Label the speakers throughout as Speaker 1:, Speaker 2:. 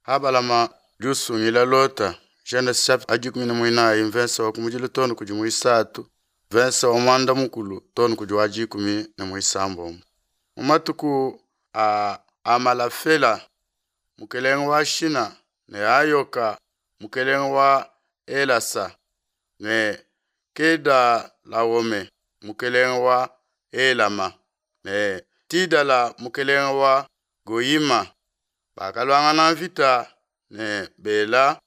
Speaker 1: Abalama udi usungila Lota, Genese chapitre 14 mvese wa kumudilu too ne kudi muisatu, mvese wa muanda mukulu too ne kudi wa dikumi ne muisambombo. Mu matuku a Amalafela mukelenge wa Shina ne Ayoka mukelenge wa Elasa ne Kedalawome mukelenge wa Elama ne Tidala mukelenge wa Goyima bakaluangana mvita ne Bela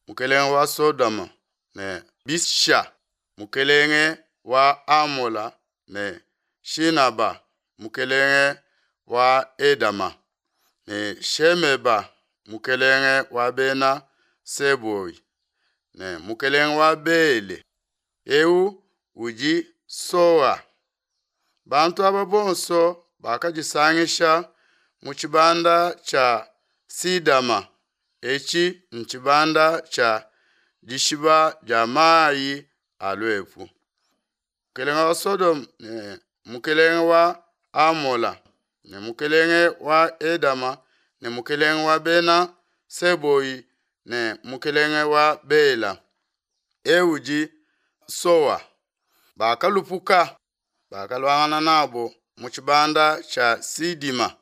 Speaker 1: mukelenge wa Sodoma ne Bisha mukelenge wa Amola ne Shinaba mukelenge wa Edama ne Shemeba mukelenge wa bena Seboi ne mukelenge wa Bele, eu udi Soa. Bantu aba bonso bakadisangisha mu tshibanda tshia Sidama, etshi ntshibanda tshia dishiba dia mayi a luepu. Mukelenge wa Sodoma ne mukelenge wa Amola ne mukelenge wa Edama ne mukelenge wa bena Seboi ne mukelenge wa Bela, eu udi Soa, bakalupuka, bakaluangana nabo mu tshibanda tshia Sidima,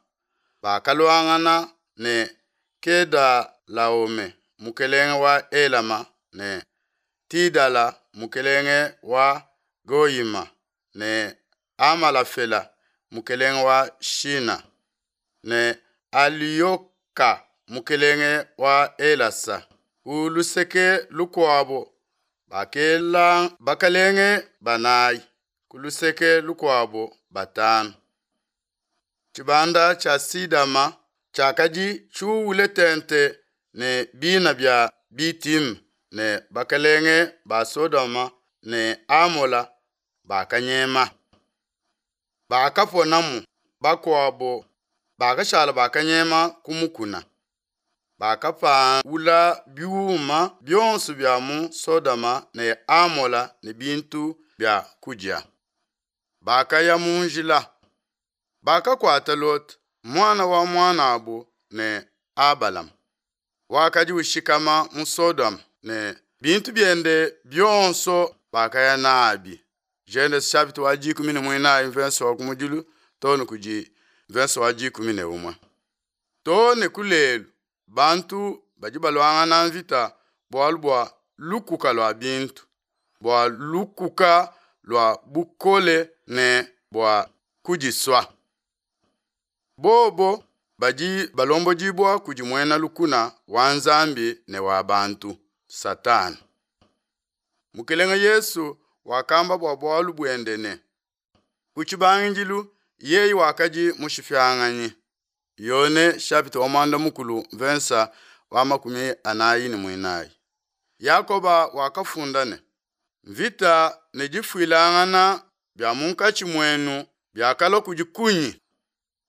Speaker 1: bakaluangana ne Kedalaome mukelenge wa Elama ne Tidala mukelenge wa Goyima ne Amalafela mukelenge wa Shina ne Aliyoka mukelenge wa Elasa. Ku luseke lukuabo bakela bakelenge banayi, ku luseke lukuabo batanu. Tshibanda tshia Sidama tshiakadi tshiuwule tente ne bina bia Bitime ne bakelenge ba Sodoma ne Amola bakanyema. Bakaponamu, bakuabo bakashala bakanyema ku mukuna. Bakapawula biuma bionso bia mu Sodoma ne Amola ne bintu bia kudia. Bakaya mu njila. Bakakuata Lota, muana wa muanabo ne Abalama, wakadi ushikama mu Sodoma ne bintu biende bionso bakaya nabi. Genese chapitre wa 14 mvese wa kumudilu too ne kudi mvese wa 11. Too ne ku lelu bantu badi baluangana mvita bualu bua lukuka lua bintu, bua lukuka lua bukole ne bua kudisua. Bobo badi balombodibua kudi muena lukuna wa Nzambi ne wa bantu, Satana. Mukelenge Yesu wakamba bua bualu buende ne, Ku tshibangidilu yeye wakadi mushipianganyi. Yone chapitre wa muanda mukulu mvensa wa 44. Yakoba wakafunda ne, Mvita ne difuilangana bia munkatshi muenu biakalua kudi kunyi?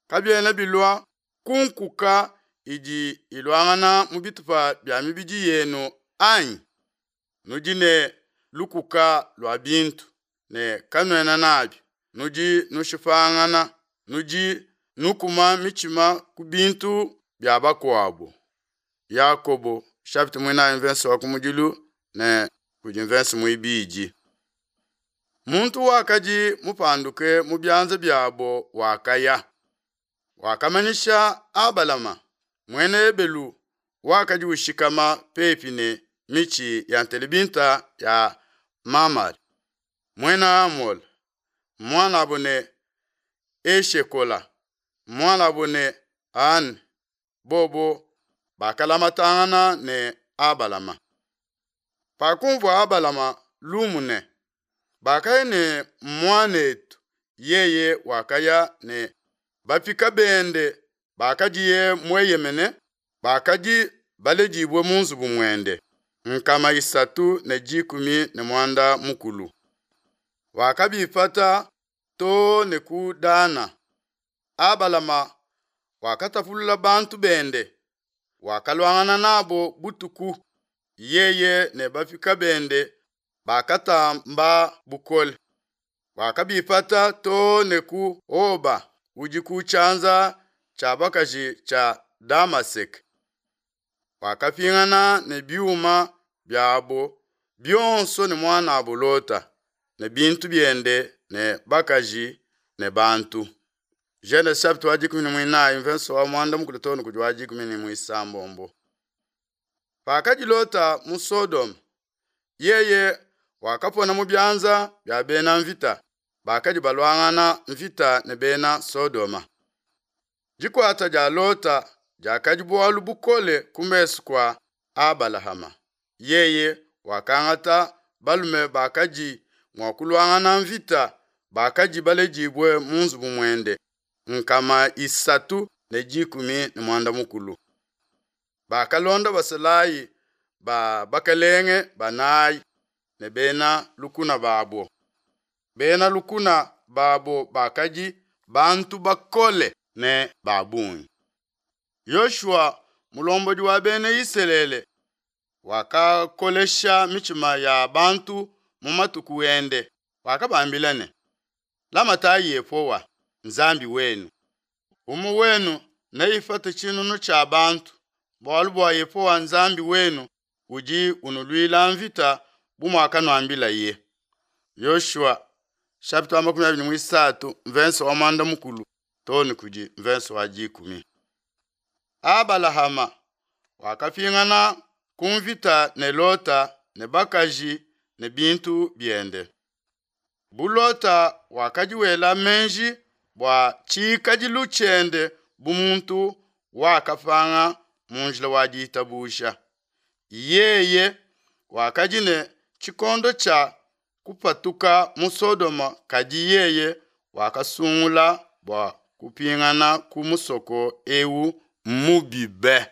Speaker 1: Kabiena bilua ku nkuka idi iluangana mu bitupa bia mibidi yenu anyi? Nudi ne lukuka lua bintu ne kanuena nabi, nudi nushipangana, nudi nukuma mitshima ku bintu bia bakuabo. Yakobo chapitre muinayi mvese wa kumudilu ne kudi mvese muibidi. Muntu wakadi mupanduke mu bianza biabo wakaya, wakamanyisha Abalama muena Ebelu wakadi ushikama pepi ne mitshi ya ntelebinta ya Mamare, muena Amole, muanabo ne Eshekola, muanabo ne Ane, bobo bakalamatangana ne Abalama. Pakumvua Abalama lumu ne, bakaya ne muanetu, yeye wakaya ne bapika bende bakadiye mueyemene, bakadi baledibue mu nzubu muende, 350. Wakabipata too ne ku Dana. Abalama wakatapulula bantu bende, wakaluangana nabo butuku, yeye ne bapika bende bakatamba bukole. Wakabipata too ne ku Hoba udi ku tshianza tshia bakaji tshia Damaseke. Wakapingana ne biuma biabo bionso ne muanabo Lota ne bintu biende ne bakaji ne bantu. Genese chapitre wa dikumi ne muinayi mvenso wa muanda mukulu too ne kudi wa dikumi ne muisambombo. Pakadi Lota mu Sodoma, yeye wakapona mu bianza bia bena mvita bakadi baluangana mvita ne bena Sodoma. Dikuata dia Lota diakadi bualu bukole ku mesu kua Abalahama. Yeye wakangata balume bakadi mua kuluangana mvita bakadi baledibue mu nzubu muende, 380. Bakalonda basalayi ba bakelenge banayi ne bena lukuna babo. Bena lukuna babo bakadi bantu bakole ne ba bungi. Yoshua, mulombodi wa Bena Isalele, wakakolesha mitshima ya bantu mu matuku ende, wakabambila ne, Lamatayi Yehowa, Nzambi wenu. Umue wenu neipate tshinunu tshia bantu, bualu bua Yehowa Nzambi wenu udi unuluila mvita bu muakanuambilaye. Yoshua chapitre wa 23 mvenso wa muanda mukulu too ne kudi mvenso wa dikumi. Abalahama wakapingana ku mvita ne Lota ne bakaji ne bintu biende. Bu Lota wakadi wela meji bua tshikadilu tshiende bu muntu wakapanga mu njila wa ditabuja. Yeye wakadi ne tshikondo tshia kupatuka mu Sodoma kadi yeye wakasungula bua kupingana ku musoko ewu mubi be.